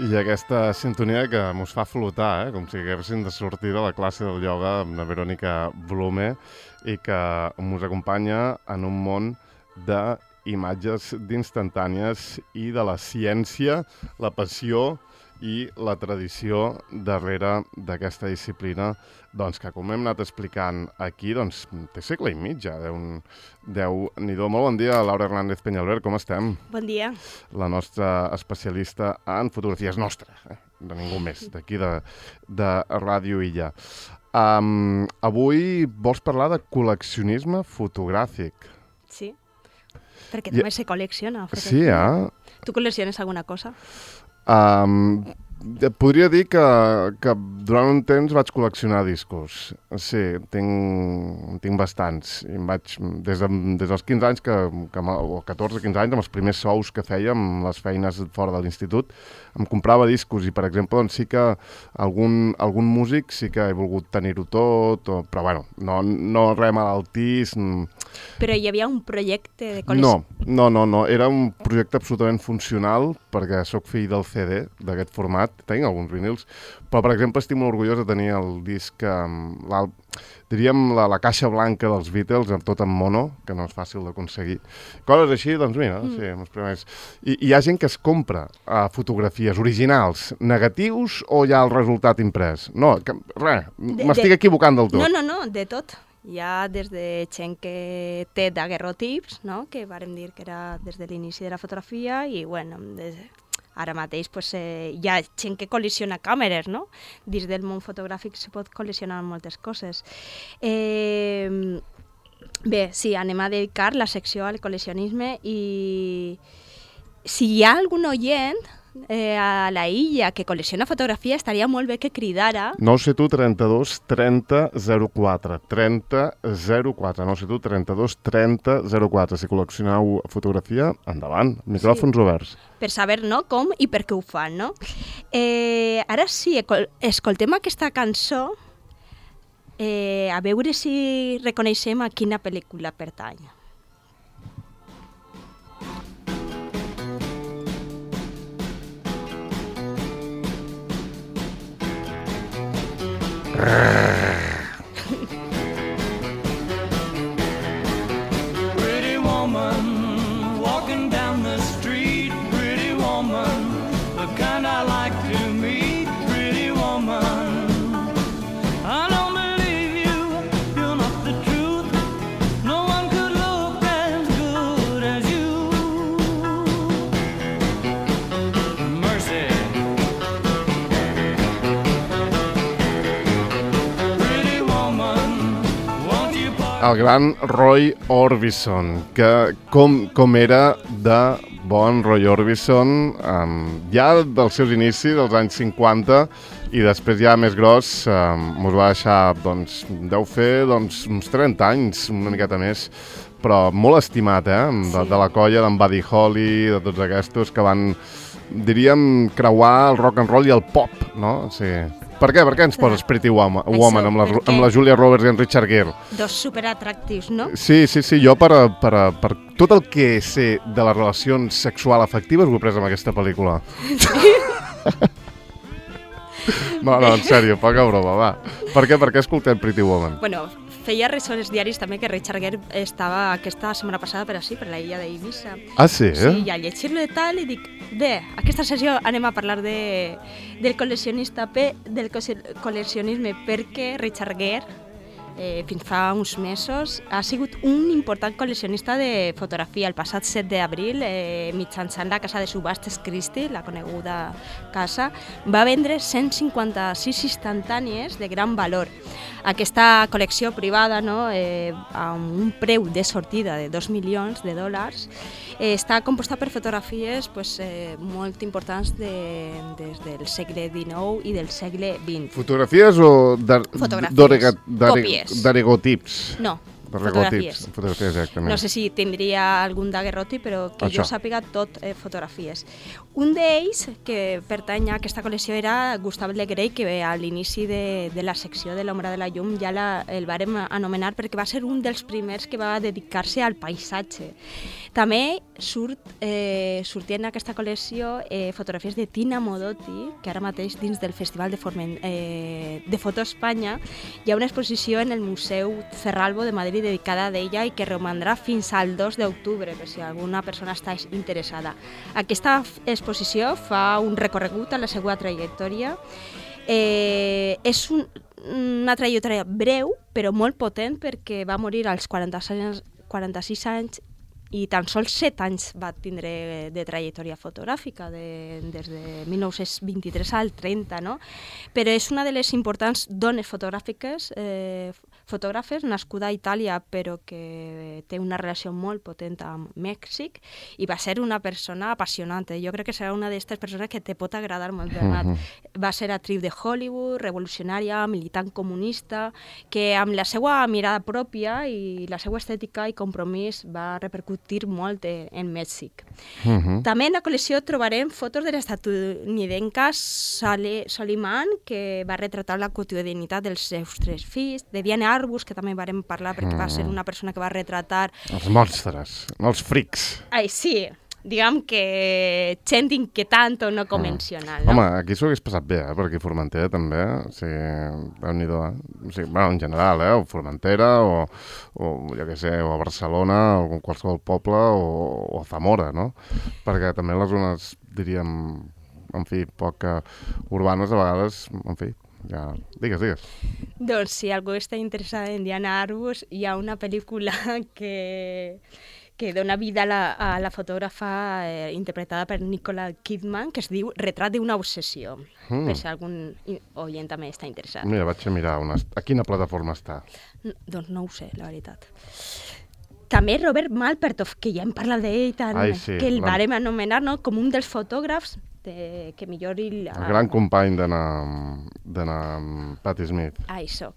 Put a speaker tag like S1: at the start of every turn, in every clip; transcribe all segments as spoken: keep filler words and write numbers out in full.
S1: I aquesta sintonia que mos fa flotar, eh? Com si haguéssim de sortir de la classe del ioga amb la Verònica Blume i que mos acompanya en un món d'imatges d'instantànies i de la ciència, la passió i la tradició darrere d'aquesta disciplina, doncs, que com hem anat explicant aquí, doncs, té segle i mig ja, Déu-n'hi-do. Molt bon dia, Laura Hernández Peñalver, com estem?
S2: Bon dia.
S1: La nostra especialista en fotografies nostra, eh? De ningú més, d'aquí de, de Ràdio Illa. Um, avui vols parlar de col·leccionisme fotogràfic.
S2: Sí, perquè també I... se col·lecciona.
S1: Sí, eh?
S2: Tu col·lecciones alguna cosa?
S1: Um, podria dir que, que durant un temps vaig col·leccionar discos. Sí, tinc, tinc bastants. I em vaig, des, de, des dels quinze anys, que, que, o catorze quinze anys, amb els primers sous que fèiem, les feines fora de l'institut, em comprava discos i, per exemple, doncs sí que algun, algun músic sí que he volgut tenir-ho tot, o, però bueno, no, no res malaltís.
S2: Però hi havia un projecte de col·lecció?
S1: No, no, no, no, era un projecte absolutament funcional, perquè sóc fill del C D, d'aquest format, tinc alguns vinils, però, per exemple, estic molt orgullós de tenir el disc, la, diríem, la, la caixa blanca dels Beatles, tot en mono, que no és fàcil d'aconseguir. Coses així, doncs mira, mm. sí, els primers. I hi ha gent que es compra uh, fotografies originals, negatius, o hi ha el resultat imprès? No, que, res, m'estic de... equivocant del tot.
S2: No, no, no, de tot. Hi ha des de gent que té daguerrotips, no? Que vàrem dir que era des de l'inici de la fotografia, i bueno, des... ara mateix pues, eh, hi ha gent que col·leciona càmeres, no? Dins del món fotogràfic se pot col·leccionar moltes coses. Eh, bé, sí, anem a dedicar la secció al col·leccionisme, i si hi ha algun oient eh, a la illa que col·lecciona fotografia, estaria molt bé que cridara.
S1: nou set u trenta-dos trenta zero quatre, trenta zero quatre, nou set u trenta-dos trenta zero quatre. Si col·leccioneu fotografia, endavant, micròfons sí. Oberts.
S2: Per saber, no, com i per què ho fan, no? Eh, ara sí, escoltem aquesta cançó, eh, a veure si reconeixem a quina pel·lícula pertany.
S3: Pretty woman walking down the street, pretty woman, the kind I like to meet, pretty woman. I don't believe you, you're not the truth. No one could look as good as you. Mercy.
S1: El gran Roy Orbison, que com, com era de bon Roy Orbison, um, ja dels seus inicis, dels anys cinquanta, i després ja més gros, um, mos va deixar, doncs, deu fer doncs, uns trenta anys, una miqueta més, però molt estimat, eh? De, de la colla d'en Buddy Holly, de tots aquests que van, diríem, creuar el rock and roll i el pop, no? O sigui, per què? Per què ens poses Pretty Woman, woman amb, la, amb la Julia Roberts i en Richard Gere?
S2: Dos superatractius, no?
S1: Sí, sí, sí. Jo per, per, per tot el que sé de les relacions sexuals afectives ho he pres amb aquesta pel·lícula. Sí? No, no, en sèrio, poca broma, va. Per què? Per què escoltem Pretty Woman?
S2: Bueno, feia ressò als diaris també que Richard Gere estava aquesta setmana passada per així, per la illa d'Eivissa.
S1: Ah, sí?
S2: Sí, i al llegir-lo de tal, i dic, bé, aquesta sessió anem a parlar de, del col·leccionista, del col·leccionisme, perquè Richard Gere, eh, fins fa uns mesos, ha sigut un important col·leccionista de fotografia. El passat set d'abril, eh, mitjançant la casa de subhastes Christie, la coneguda casa, va vendre cent cinquanta-sis instantànies de gran valor. Aquesta col·lecció privada, no, eh, amb un preu de sortida de dos milions de dòlars, eh, està composta per fotografies pues, eh, molt importants de, des del segle dinou i del segle vint.
S1: Fotografies o
S2: fotografies,
S1: daguerrotips?
S2: No,
S1: fotografies. Fotografies, exactament.
S2: No sé si tindria algun daguerrotip, però que Això. jo sàpiga tot eh, fotografies. Un d'ells, que pertany a aquesta col·lecció, era Gustave Le Gray, que a l'inici de, de la secció de l'Ombra de la Llum ja la, el vàrem anomenar perquè va ser un dels primers que va dedicar-se al paisatge. També surt, eh, sortien en aquesta col·lecció eh, fotografies de Tina Modotti, que ara mateix dins del Festival de, Forment, eh, de Foto Espanya hi ha una exposició en el Museu Cerralbo de Madrid dedicada a ella i que romandrà fins al dos d'octubre, per si alguna persona està interessada. Aquesta exposició fa un recorregut a la seva trajectòria. Eh, és un, una trajectòria breu, però molt potent, perquè va morir als quaranta-sis anys i tan sols set anys va tindre de trajectòria fotogràfica, de, des de mil nou-cents vint-i-tres al trenta, no? Però és una de les importants dones fotogràfiques, eh, fotògrafes, nascuda a Itàlia, però que té una relació molt potent amb Mèxic, i va ser una persona apassionant. Jo crec que serà una d'aquestes persones que te pot agradar molt, Bernat. Uh-huh. Va ser actriu de Hollywood, revolucionària, militant comunista, que amb la seva mirada pròpia i la seva estètica i compromís va repercutir molt en Mèxic. Uh-huh. També en la col·lecció trobarem fotos de l'estatunidenca Soliman, que va retratar la quotidianitat dels seus tres fills, de Diana Arbus, que també vam parlar perquè uh-huh. va ser una persona que va retratar...
S1: Els monstres, els frics.
S2: Ai, sí, diguem que gent inquietant o no convencional. No?
S1: Home, aquí s'ho hagués passat bé, eh? Per aquí a Formentera també, o sigui, déu-n'hi-do, eh? O sigui, bueno, en general, eh? O Formentera, o, o jo què sé, o a Barcelona, o qualsevol poble, o, o a Zamora, no? Perquè també les zones, diríem, en fi, poc urbanes a vegades, en fi, ja... Digues, digues.
S2: Doncs si algú està interessat en Diana Arbus, hi ha una pel·lícula que... que dona vida a la, a la fotògrafa eh, interpretada per Nicole Kidman, que es diu Retrat d'una obsessió, mm. per si algun oient també està interessat.
S1: Mira, vaig a mirar una... a quina plataforma està.
S2: No, doncs no ho sé, la veritat. També Robert Malpertoff, que ja hem parlat d'ell tant, Ai, sí, que el la... vàrem anomenar, no?, com un dels fotògrafs de, que millor... Il...
S1: El gran company d'anar amb Patti Smith.
S2: Ah, això.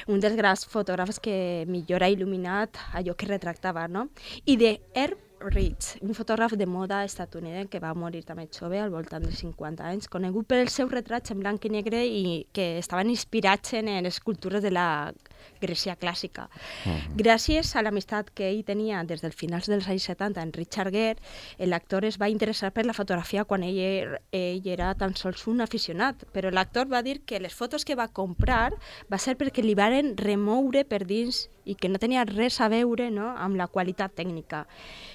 S2: Un dels grans fotògrafs que millor ha il·luminat allò que retractava, no? I de Herb Ritts, un fotògraf de moda estatunidenc que va morir també jove, al voltant de cinquanta anys, conegut per els seus retrats en blanc i negre i que estaven inspirats en les escultures de la Grècia clàssica. Uh-huh. Gràcies a l'amistat que ell tenia des dels finals dels anys setanta en Richard Gere, l'actor es va interessar per la fotografia quan ell, ell era tan sols un aficionat, però l'actor va dir que les fotos que va comprar va ser perquè li varen remoure per dins i que no tenia res a veure, no?, amb la qualitat tècnica.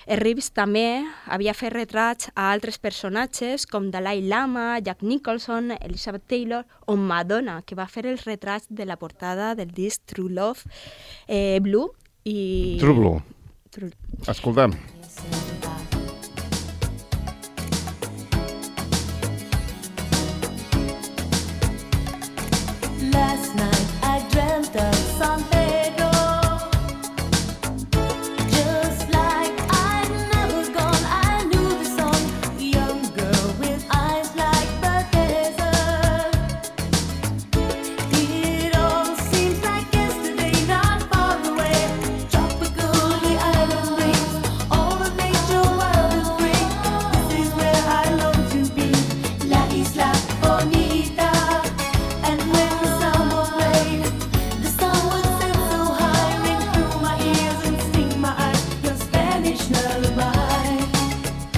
S2: Reeves també havia fet retrats a altres personatges com Dalai Lama, Jack Nicholson, Elizabeth Taylor o Madonna, que va fer els retrats de la portada del disc True Love eh, Blue. I...
S1: True Blue.
S2: True...
S1: Escoltem.
S4: Last night I dreamt of San Pedro, just like I'd never gone. I knew the song, young girl with eyes like the desert. It all seems like yesterday, not far away. Tropical, the island breeze, all of nature wild and free. This is where I long to be, La Isla Bonita. And when the summer played, the sun would set so high, ring through my ears and sting my eyes, your Spanish lullaby.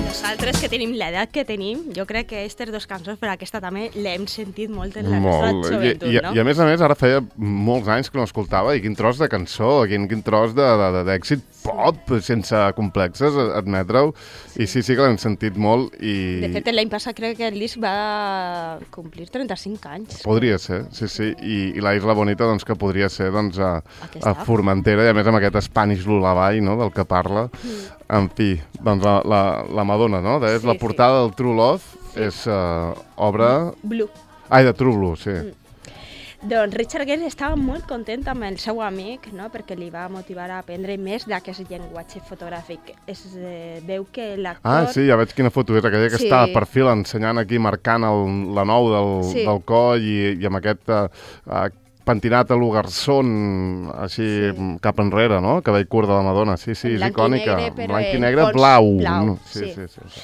S2: Nosaltres que tenim l'edat que tenim, jo crec que aquestes dues cançons, per aquesta també l'hem sentit molt en la nostra
S1: Molt.
S2: joventut,
S1: I, i,
S2: no?
S1: I a més a més, ara feia molts anys que no escoltava, i quin tros de cançó, quin, quin tros de- de- de- d'èxit pop, sense complexes, admetre-ho. I sí, sí que l'hem sentit molt. I...
S2: De fet, l'any passat crec que el disc va complir trenta-cinc anys.
S1: Podria ser, sí, sí. I, i la Isla Bonita, doncs, que podria ser doncs, a,
S2: Aquesta.
S1: a Formentera, i a més amb aquest Spanish lullaby, no?, del que parla. Mm. En fi, doncs la, la, la Madonna, no? De,
S2: Sí,
S1: la
S2: sí.
S1: portada del True Love és uh, obra...
S2: Blue.
S1: Ai, de True Blue, sí.
S2: Mm. Doncs Richard Gere estava molt content amb el seu amic, no?, perquè li va motivar a aprendre més d'aquest llenguatge fotogràfic. Es eh, veu que l'actor...
S1: Ah, sí, ja veig quina foto és aquella que
S2: Sí.
S1: està de perfil ensenyant aquí, marcant el, la nou del,
S2: Sí.
S1: del coll i, i amb aquest uh, uh, pentinat a l'Ugarsón, així
S2: Sí.
S1: cap enrere, no? Cabell curt de la Madonna. Sí, sí,
S2: En
S1: és
S2: blanc i
S1: icònica.
S2: negre, però
S1: Blanc i
S2: en
S1: negre,
S2: fons
S1: blau.
S2: blau,
S1: No? Sí,
S2: sí.
S1: sí, sí, sí.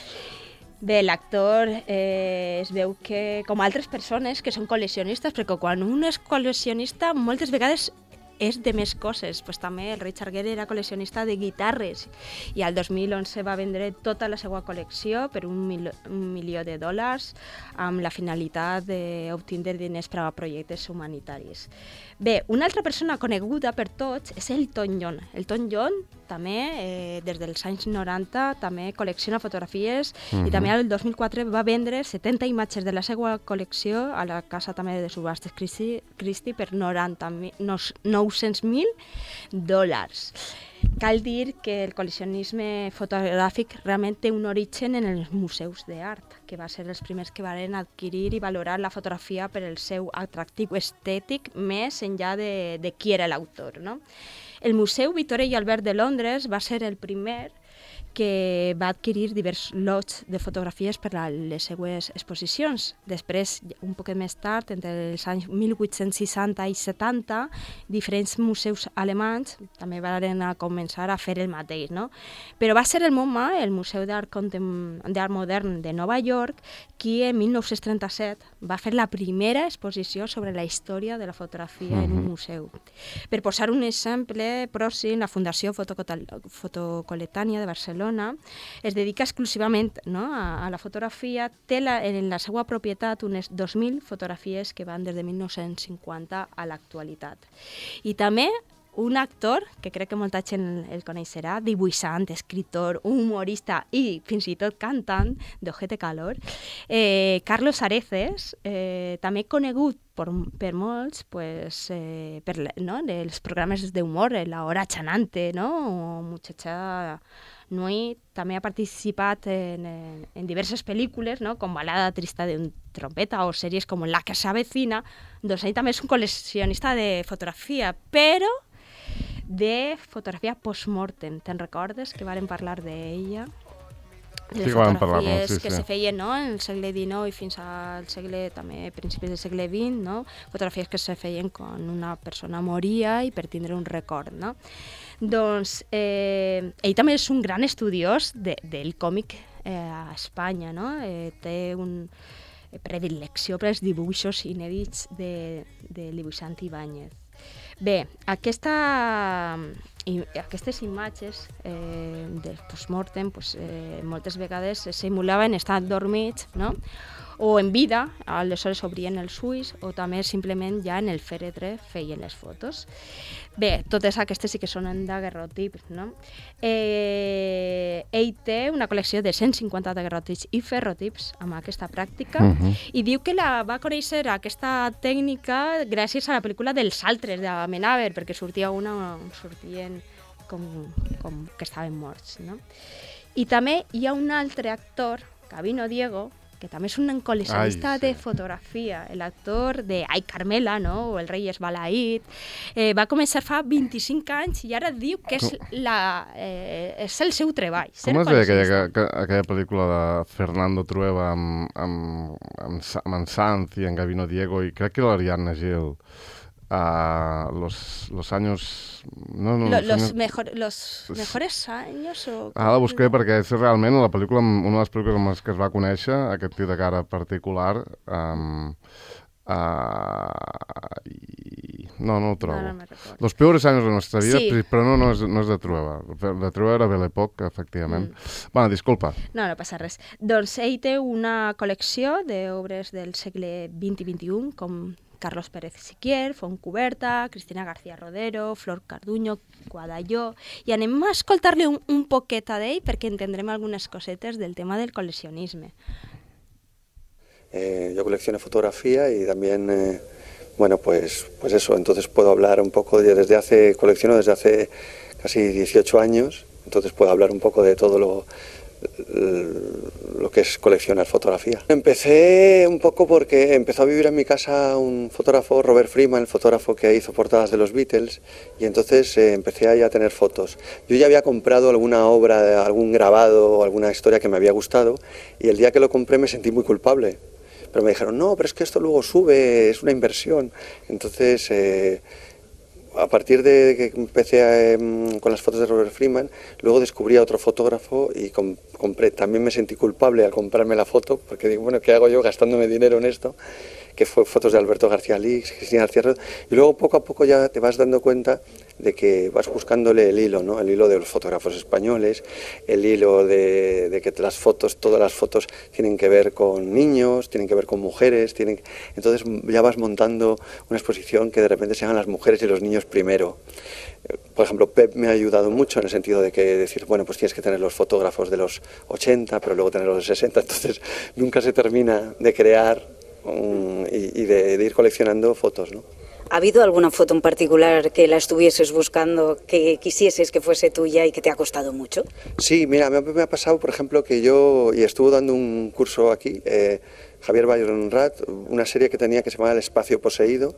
S2: Bé, l'actor eh, es veu que, com altres persones que són col·leccionistes, perquè quan un és col·leccionista moltes vegades és de més coses. Pues també el Richard Gere era col·leccionista de guitarres i al dos mil onze va vendre tota la seva col·lecció per un, mil, un milió de dòlars amb la finalitat d'obtenir diners per a projectes humanitaris. Bé, una altra persona coneguda per tots és Elton John. Elton John també, eh, des dels anys noranta, també col·lecciona fotografies uh-huh. i també el dos mil quatre va vendre setanta imatges de la seva col·lecció a la casa també de subhastes Christie, Christie per noranta mil, nou-cents mil dòlars. Cal dir que el col·leccionisme fotogràfic realment té un origen en els museus d'art, que va ser els primers que van adquirir i valorar la fotografia per el seu atractiu estètic més enllà de, de qui era l'autor, no? El Museu Victoria i Albert de Londres va ser el primer que va adquirir diversos lots de fotografies per a les seues exposicions. Després, un poc més tard, entre els anys mil vuit-cents seixanta i setanta, diferents museus alemanys també van a començar a fer el mateix, no? Però va ser el MoMA, el Museu d'Art Contem- d'Art Modern de Nova York, qui en mil nou-cents trenta-set va fer la primera exposició sobre la història de la fotografia uh-huh. en un museu. Per posar un exemple pròxim, la Fundació Fotocoletània de Barcelona es dedica exclusivament, no, a, a la fotografia, té la, en la seva propietat unes dos mil fotografies que van des de mil nou-cents cinquanta a l'actualitat. I també un actor, que crec que molta gent el coneixerà, dibuixant, escritor, humorista i fins i tot cantant d'Ojete Calor, eh, Carlos Areces, eh, també conegut per, per molts pues, eh, per no, els programes d'humor, La Hora Chanante, no? O Muchacha Nui, també ha participat en, en, en diverses pel·lícules, no? Com Balada trista d'un trompeta o sèries com La que s'avecina. Doncs ell també és un col·leccionista de fotografia, però de fotografia post-mortem. Te'n recordes que vàrem parlar d'ella? De
S1: sí,
S2: les
S1: vam
S2: fotografies
S1: parlar, sí,
S2: que
S1: sí.
S2: se feien, no? En el segle dinou i fins al segle, també principis del segle vint, no? Fotografies que se feien quan una persona moria i per tindre un record, no? Doncs eh, ell també és un gran estudiós de, del còmic eh, a Espanya, no? Eh, té un predilecció per als dibuixos inèdits de, de dibuixant Ibáñez. Bé, aquesta, i, aquestes imatges eh, del postmortem pues, eh, moltes vegades simulaven estar dormits, no? O en vida, aleshores obrien els ulls, o també simplement ja en el fèretre feien les fotos. Bé, totes aquestes sí que són en daguerrotips, no? Eh, ell té una col·lecció de cent cinquanta daguerrotips i ferrotips amb aquesta pràctica uh-huh. i diu que la va conèixer aquesta tècnica gràcies a la pel·lícula dels altres de Amenábar, perquè sortia una on sortien com, com que estaven morts, no? I també hi ha un altre actor, Gabino Diego, que també és un col·leccionista Ai, sí. de fotografia, l'actor de Ai Carmela, no? O El rei esbalaït. Eh, va començar fa vint-i-cinc anys i ara diu que és, la, eh, és el seu treball.
S1: Com es deia aquella, aquella, aquella pel·lícula de Fernando Trueba amb, amb, amb, amb en Sanz i en Gabino Diego i crec que l'Ariadna Gil? Uh, los, los años... No, no,
S2: Lo,
S1: los,
S2: los,
S1: años...
S2: mejor, los mejores años o...
S1: Ah, la busqué perquè és realment la pel·lícula, una de les pel·lícules amb les que es va conèixer, aquest tio de cara particular, um, uh, i... no, no ho trobo.
S2: No, no me recordo.
S1: Los peores años de nuestra vida,
S2: Sí.
S1: però no, no, és, no és de Trueba. De Trueba era Belle Époque, efectivament. Mm. Bueno, disculpa.
S2: No, no passa res. Doncs ell té una col·lecció d'obres del segle vint i vint i u, com Carlos Pérez Siquier, Fontcuberta, Cristina García Rodero, Flor Carduño, Guadalló, i anem a escoltar-li un, un poquet a d'ell perquè entendrem algunes cosetes del tema del col·leccionisme.
S5: Eh, yo colecciono fotografía y también, eh, bueno, pues, pues eso, entonces puedo hablar un poco de, desde hace, colecciono desde hace casi dieciocho años, entonces puedo hablar un poco de todo lo, lo que es coleccionar fotografía. Empecé un poco porque empezó a vivir en mi casa un fotógrafo, Robert Freeman, el fotógrafo que hizo portadas de los Beatles, y entonces eh, empecé ahí a tener fotos. Yo ya había comprado alguna obra, algún grabado o alguna historia que me había gustado, y el día que lo compré me sentí muy culpable. Pero me dijeron, no, pero es que esto luego sube, es una inversión. Entonces, eh, a partir de que empecé a, eh, con las fotos de Robert Freeman, luego descubrí a otro fotógrafo y com compré. También me sentí culpable al comprarme la foto, porque digo, bueno, ¿qué hago yo gastándome dinero en esto? que fue fotos de Alberto García Lix, Cristina García Rodo, y luego poco a poco ya te vas dando cuenta de que vas buscándole el hilo, ¿no? El hilo de los fotógrafos españoles, el hilo de, de que las fotos, todas las fotos tienen que ver con niños, tienen que ver con mujeres, tienen, entonces ya vas montando una exposición que de repente se hagan las mujeres y los niños primero. Por ejemplo, Pep me ha ayudado mucho en el sentido de que decir, bueno, pues tienes que tener los fotógrafos de los ochenta, pero luego tener los de sesenta, entonces nunca se termina de crear um, y, y de, de ir coleccionando fotos, ¿no?
S6: ¿Ha habido alguna foto en particular que la estuvieses buscando, que quisieses que fuese tuya y que te ha costado mucho?
S5: Sí, mira, me, me ha pasado, por ejemplo, que yo, y estuve dando un curso aquí, eh, Javier Bayonrat, una serie que tenía que se llamaba El Espacio Poseído,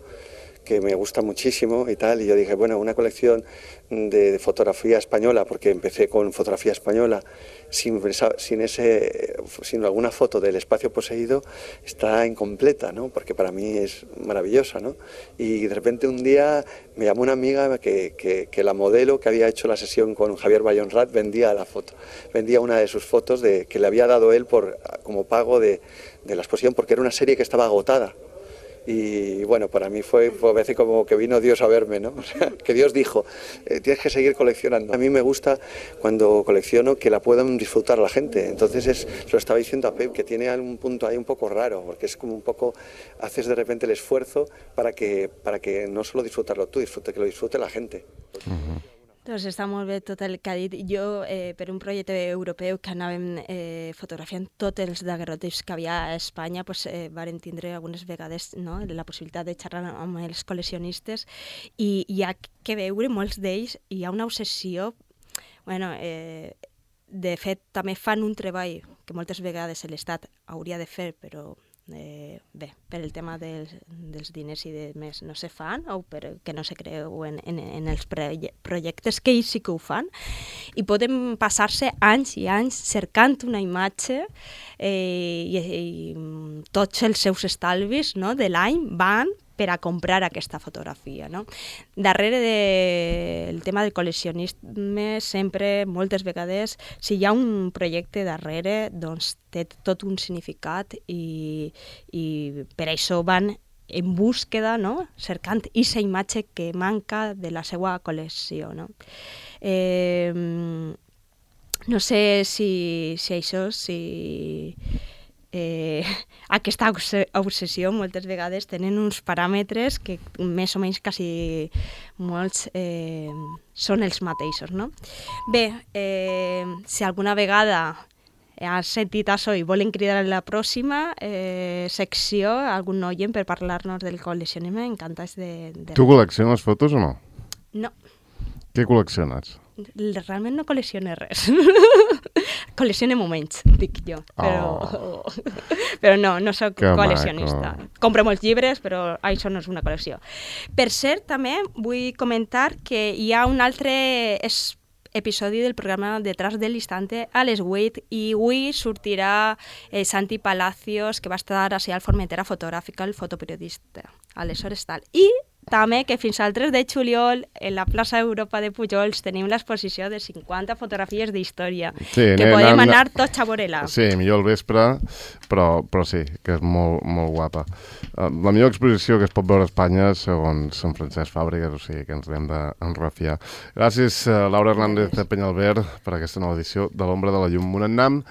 S5: que me gusta muchísimo y tal, y yo dije, bueno, una colección de, de fotografía española, porque empecé con fotografía española, sin, sin, ese, sin alguna foto del espacio poseído, está incompleta, ¿no? Porque para mí es maravillosa, ¿no? Y de repente un día me llamó una amiga que, que, que la modelo que había hecho la sesión con Javier Bayonrat vendía la foto, vendía una de sus fotos de, que le había dado él por, como pago de, de la exposición, porque era una serie que estaba agotada. Y bueno, para mí fue, fue a veces como que vino Dios a verme, ¿no? O sea, que Dios dijo, eh, tienes que seguir coleccionando. A mí me gusta cuando colecciono que la puedan disfrutar la gente. Entonces es, se lo estaba diciendo a Pep, que tiene algún punto ahí un poco raro, porque es como un poco, haces de repente el esfuerzo para que, para que no solo disfrutarlo tú, disfrute, que lo disfrute la gente.
S1: Uh-huh.
S2: Doncs està molt bé tot el que ha dit. Jo, eh, per un projecte europeu que anàvem eh, fotografiant tots els daguerrotips que havia a Espanya, pues, eh, vàrem tindre algunes vegades, no?, la possibilitat de xerrar amb els col·leccionistes i hi ha que veure molts d'ells, hi ha una obsessió, bueno, eh, de fet també fan un treball que moltes vegades l'Estat hauria de fer, però Eh, bé, per el tema dels, dels diners i de més no se fan, o perquè no se creuen en, en els projectes, que ells sí que ho fan, i poden passar-se anys i anys cercant una imatge eh, i, i tots els seus estalvis, no?, de l'any van per a comprar aquesta fotografia, no? Darrere del tema del col·leccionisme, sempre, moltes vegades, si hi ha un projecte darrere, doncs té tot un significat i, i per això van en búsqueda, no?, cercant aquesta imatge que manca de la seva col·lecció, no? Eh, no sé si, si això, si... Eh, aquesta obsessió moltes vegades tenen uns paràmetres que més o menys quasi molts eh, són els mateixos, no? Bé, eh, si alguna vegada has sentit això i volen cridar a la pròxima eh, secció algun oient per parlar-nos del col·leccionisme, encantats de... de...
S1: Tu col·lecciones fotos o no?
S2: No.
S1: Què col·lecciones?
S2: Realment no col·leccione res. Col·leccione moments, dic jo, però, oh. però no, no soc que col·leccionista. Maco. Compro molts llibres, però això no és una col·lecció. Per cert, també vull comentar que hi ha un altre es, episodi del programa Detrás del Instante a les vuit i avui sortirà eh, Santi Palacios, que va estar a la Formentera Fotogràfica, el fotoperiodista. Aleshores tal. I també que fins al tres de juliol en la plaça Europa de Pujols tenim l'exposició de cinquanta fotografies d'història, sí, que podem anar tots a veure-la.
S1: Sí, millor al vespre, però, però sí, que és molt, molt guapa. Uh, la millor exposició que es pot veure a Espanya, segons Sant Francesc Fàbregas, o sigui que ens l'hem d'enrafiar. Gràcies, uh, Laura Hernández de Penyalver, per aquesta nova edició de l'Ombra de la Llum Monannam.